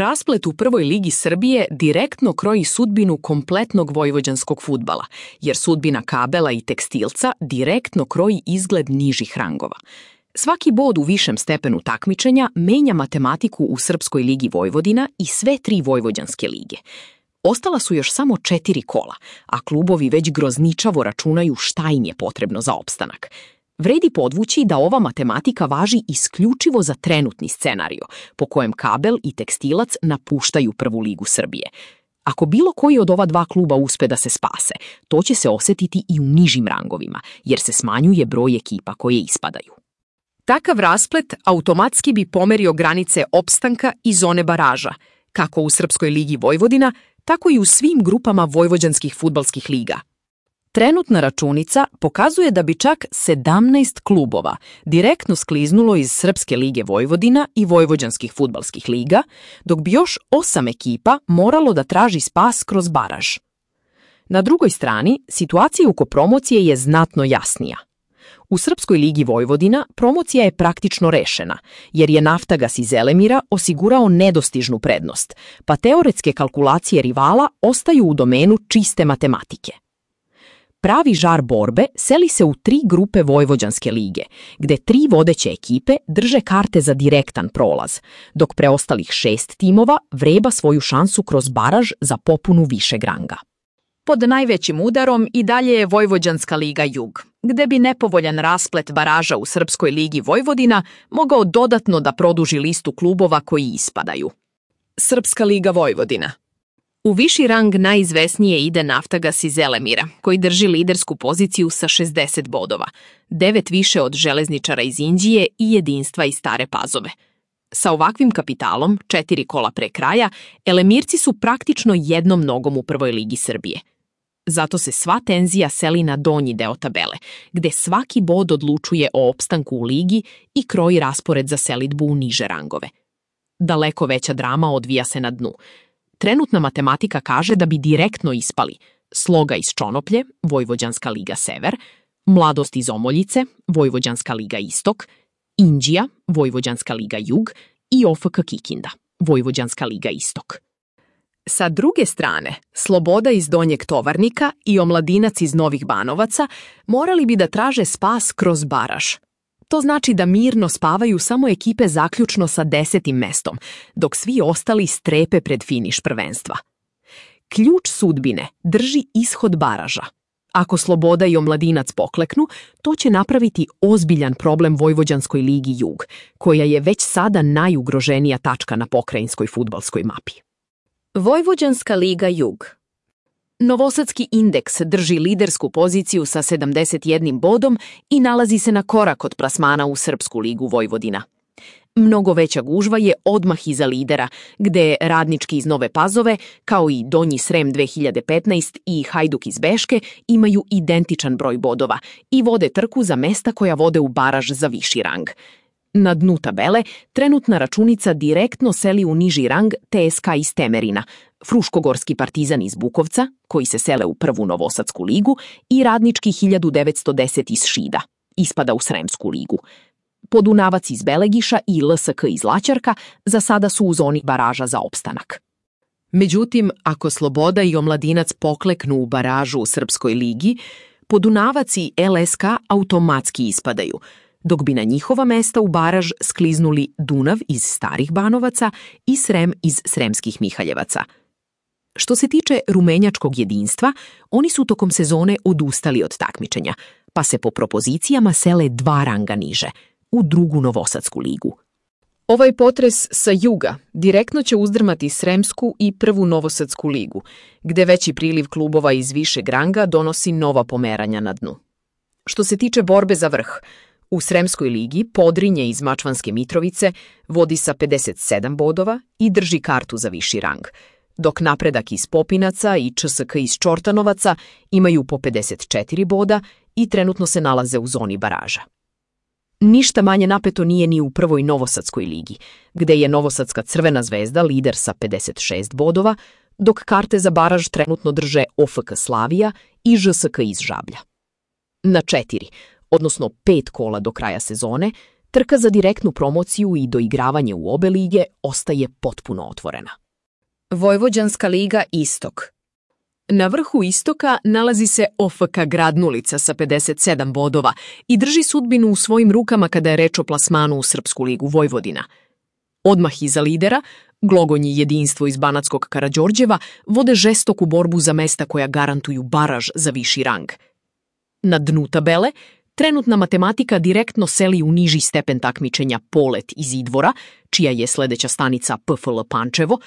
Rasplet u prvoj ligi Srbije direktno kroji sudbinu kompletnog vojvođanskog fudbala, jer sudbina Kabela i Tekstilca direktno kroji izgled nižih rangova. Svaki bod u višem stepenu takmičenja menja matematiku u Srpskoj ligi Vojvodina i sve 3 vojvođanske lige. Ostala su još samo 4 kola, a klubovi već grozničavo računaju šta im je potrebno za opstanak. Vredi podvući da ova matematika važi isključivo za trenutni scenario, po kojem Kabel i Tekstilac napuštaju prvu ligu Srbije. Ako bilo koji od ova 2 kluba uspe da se spase, to će se osetiti i u nižim rangovima, jer se smanjuje broj ekipa koje ispadaju. Takav rasplet automatski bi pomerio granice opstanka i zone baraža, kako u Srpskoj ligi Vojvodina, tako i u svim grupama vojvođanskih fudbalskih liga. Trenutna računica pokazuje da bi čak 17 klubova direktno skliznulo iz Srpske lige Vojvodina i vojvođanskih fudbalskih liga, dok bi još 8 ekipa moralo da traži spas kroz baraž. Na drugoj strani, situacija oko promocije je znatno jasnija. U Srpskoj ligi Vojvodina promocija je praktično rešena, jer je Naftagas iz Zelemira osigurao nedostižnu prednost, pa teoretske kalkulacije rivala ostaju u domenu čiste matematike. Pravi žar borbe seli se u 3 grupe Vojvođanske lige, gde 3 vodeće ekipe drže karte za direktan prolaz, dok preostalih 6 timova vreba svoju šansu kroz baraž za popunu višeg ranga. Pod najvećim udarom i dalje je Vojvođanska liga Jug, gde bi nepovoljan rasplet baraža u Srpskoj ligi Vojvodina mogao dodatno da produži listu klubova koji ispadaju. Srpska liga Vojvodina. U viši rang najizvesnije ide Naftagas iz Zelemira, koji drži lidersku poziciju sa 60 bodova, 9 više od Železničara iz Inđije i Jedinstva iz Stare Pazove. Sa ovakvim kapitalom, 4 kola pre kraja, Elemirci su praktično jednom nogom u prvoj ligi Srbije. Zato se sva tenzija seli na donji deo tabele, gde svaki bod odlučuje o opstanku u ligi i kroji raspored za selidbu u niže rangove. Daleko veća drama odvija se na dnu. Trenutna matematika kaže da bi direktno ispali Sloga iz Čonoplje, Vojvođanska liga Sever, Mladost iz Omoljice, Vojvođanska liga Istok, Inđija, Vojvođanska liga Jug i OFK Kikinda, Vojvođanska liga Istok. Sa druge strane, Sloboda iz Donjeg Tovarnika i Omladinac iz Novih Banovaca morali bi da traže spas kroz baraž. To znači da mirno spavaju samo ekipe zaključno sa 10. mestom, dok svi ostali strepe pred finiš prvenstva. Ključ sudbine drži ishod baraža. Ako Sloboda i Omladinac pokleknu, to će napraviti ozbiljan problem Vojvođanskoj ligi Jug, koja je već sada najugroženija tačka na pokrajinskoj fudbalskoj mapi. Vojvođanska liga Jug. Novosadski Indeks drži lidersku poziciju sa 71 bodom i nalazi se na korak od plasmana u Srpsku ligu Vojvodina. Mnogo veća gužva je odmah iza lidera, gde Radnički iz Nove Pazove, kao i Donji Srem 2015 i Hajduk iz Beške, imaju identičan broj bodova i vode trku za mesta koja vode u baraž za viši rang. Na dnu tabele trenutna računica direktno seli u niži rang TSK iz Temerina, Fruškogorski Partizan iz Bukovca, koji se sele u prvu Novosadsku ligu, i Radnički 1910 iz Šida, ispada u Sremsku ligu. Podunavac iz Belegiša i LSK iz Laćarka za sada su u zoni baraža za opstanak. Međutim, ako Sloboda i Omladinac pokleknu u baražu u Srpskoj ligi, Podunavac i LSK automatski ispadaju, dok bi na njihova mesta u baraž skliznuli Dunav iz Starih Banovaca i Srem iz Sremskih Mihaljevaca. Što se tiče rumenjačkog jedinstva, oni su tokom sezone odustali od takmičenja, pa se po propozicijama sele 2 ranga niže, u drugu Novosadsku ligu. Ovaj potres sa juga direktno će uzdrmati Sremsku i prvu Novosadsku ligu, gde veći priliv klubova iz višeg ranga donosi nova pomeranja na dnu. Što se tiče borbe za vrh, u Sremskoj ligi Podrinje iz Mačvanske Mitrovice vodi sa 57 bodova i drži kartu za viši rang, dok Napredak iz Popinaca i ČSK iz Čortanovaca imaju po 54 boda i trenutno se nalaze u zoni baraža. Ništa manje napeto nije ni u prvoj Novosadskoj ligi, gde je Novosadska Crvena zvezda lider sa 56 bodova, dok karte za baraž trenutno drže OFK Slavija i ŽSK iz Žablja. Na 4, odnosno 5 kola do kraja sezone, trka za direktnu promociju i doigravanje u obe lige ostaje potpuno otvorena. Vojvođanska liga Istok. Na vrhu istoka nalazi se OFK Gradnulica sa 57 bodova i drži sudbinu u svojim rukama kada je reč o plasmanu u Srpsku ligu Vojvodina. Odmah iza lidera, Glogonji Jedinstvo iz Banatskog Karađorđeva vode žestoku borbu za mesta koja garantuju baraž za viši rang. Na dnu tabele, trenutna matematika direktno seli u niži stepen takmičenja Polet iz Idvora, čija je sledeća stanica PFL Pančevo,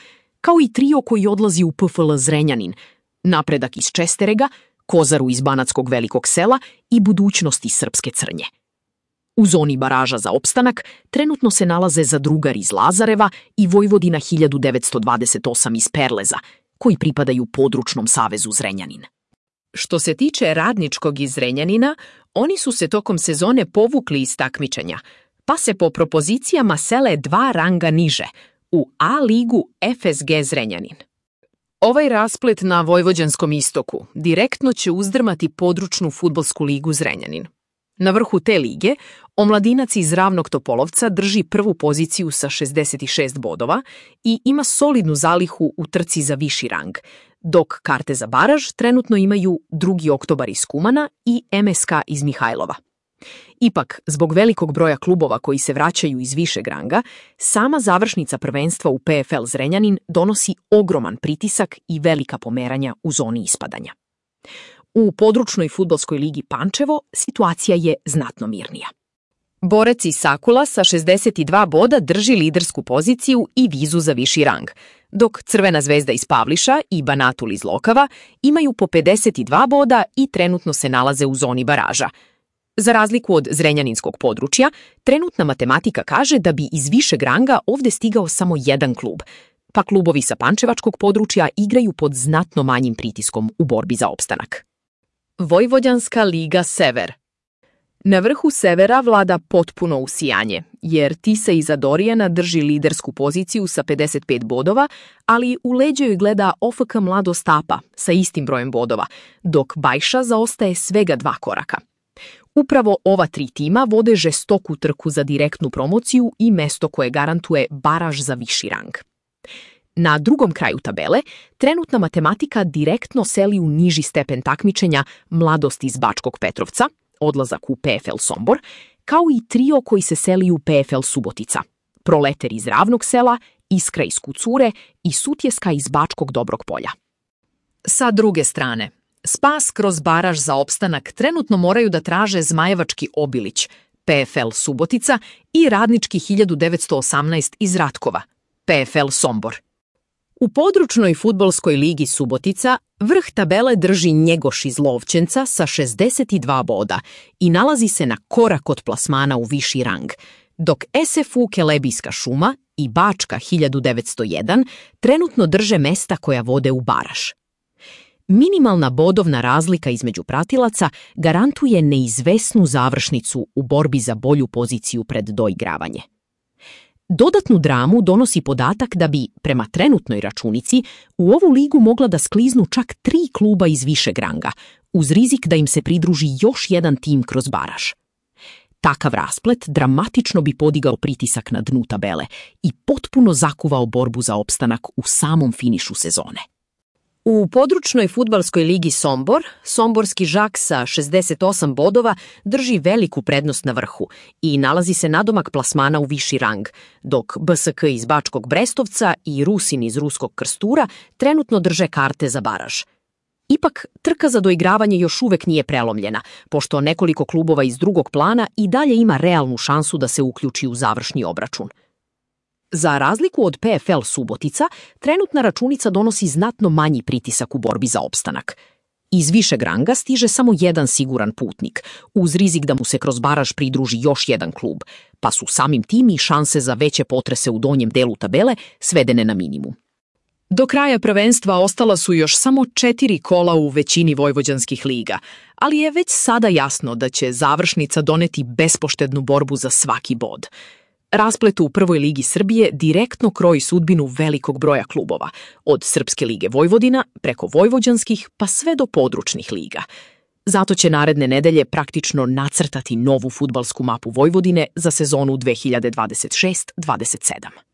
kao i trio koji odlazi u PFL Zrenjanin, Napredak iz Česterega, Kozaru iz Banatskog Velikog Sela i Budućnost iz Srpske Crnje. U zoni baraža za opstanak trenutno se nalaze Zadrugar iz Lazareva i Vojvodina 1928 iz Perleza, koji pripadaju Područnom savezu Zrenjanin. Što se tiče Radničkog iz Zrenjanina, oni su se tokom sezone povukli iz takmičenja, pa se po propozicijama sele 2 ranga niže, u A ligu FSG Zrenjanin. Ovaj rasplet na Vojvođanskom istoku direktno će uzdrmati Područnu fudbalsku ligu Zrenjanin. Na vrhu te lige, Omladinac iz Ravnog Topolovca drži prvu poziciju sa 66 bodova i ima solidnu zalihu u trci za viši rang, dok karte za baraž trenutno imaju 2. Oktobar iz Kumana i MSK iz Mihajlova. Ipak, zbog velikog broja klubova koji se vraćaju iz višeg ranga, sama završnica prvenstva u PFL Zrenjanin donosi ogroman pritisak i velika pomeranja u zoni ispadanja. U Područnoj fudbalskoj ligi Pančevo situacija je znatno mirnija. Borec iz Sakula sa 62 boda drži lidersku poziciju i vizu za viši rang, dok Crvena zvezda iz Pavliša i Banatul iz Lokava imaju po 52 boda i trenutno se nalaze u zoni baraža. Za razliku od zrenjaninskog područja, trenutna matematika kaže da bi iz višeg ranga ovde stigao samo jedan klub, pa klubovi sa pančevačkog područja igraju pod znatno manjim pritiskom u borbi za opstanak. Vojvođanska liga Sever. Na vrhu Severa vlada potpuno usijanje, jer Tisa iza Dorijana drži lidersku poziciju sa 55 bodova, ali u leđa joj gleda OFK Mladost Apa sa istim brojem bodova, dok Bajša zaostaje svega 2 koraka. Upravo ova 3 tima vode žestoku trku za direktnu promociju i mesto koje garantuje baraž za viši rang. Na drugom kraju tabele, trenutna matematika direktno seli u niži stepen takmičenja Mladost iz Bačkog Petrovca, odlazak u PFL Sombor, kao i trio koji se seli u PFL Subotica, Proleter iz Ravnog Sela, Iskra iz Kucure i Sutjeska iz Bačkog Dobrog Polja. Sa druge strane, spas kroz baraž za opstanak trenutno moraju da traže Zmajevački Obilić, PFL Subotica i Radnički 1918 iz Ratkova, PFL Sombor. U Područnoj fudbalskoj ligi Subotica vrh tabele drži Njegoš iz Lovćenca sa 62 boda i nalazi se na korak od plasmana u viši rang, dok SFU Kelebijska šuma i Bačka 1901 trenutno drže mesta koja vode u baraž. Minimalna bodovna razlika između pratilaca garantuje neizvesnu završnicu u borbi za bolju poziciju pred doigravanje. Dodatnu dramu donosi podatak da bi, prema trenutnoj računici, u ovu ligu mogla da skliznu čak 3 kluba iz višeg ranga, uz rizik da im se pridruži još jedan tim kroz baraž. Takav rasplet dramatično bi podigao pritisak na dnu tabele i potpuno zakuvao borbu za opstanak u samom finišu sezone. U Područnoj fudbalskoj ligi Sombor, somborski Žak sa 68 bodova drži veliku prednost na vrhu i nalazi se nadomak plasmana u viši rang, dok BSK iz Bačkog Brestovca i Rusin iz Ruskog Krstura trenutno drže karte za baraž. Ipak, trka za doigravanje još uvek nije prelomljena, pošto nekoliko klubova iz drugog plana i dalje ima realnu šansu da se uključi u završni obračun. Za razliku od PFL Subotica, trenutna računica donosi znatno manji pritisak u borbi za opstanak. Iz višeg ranga stiže samo jedan siguran putnik, uz rizik da mu se kroz baraž pridruži još jedan klub, pa su samim tim i šanse za veće potrese u donjem delu tabele svedene na minimum. Do kraja prvenstva ostala su još samo 4 kola u većini vojvođanskih liga, ali je već sada jasno da će završnica doneti bespoštednu borbu za svaki bod. Rasplet u Prvoj ligi Srbije direktno kroji sudbinu velikog broja klubova, od Srpske lige Vojvodina preko vojvođanskih pa sve do područnih liga. Zato će naredne nedelje praktično nacrtati novu fudbalsku mapu Vojvodine za sezonu 2026-27.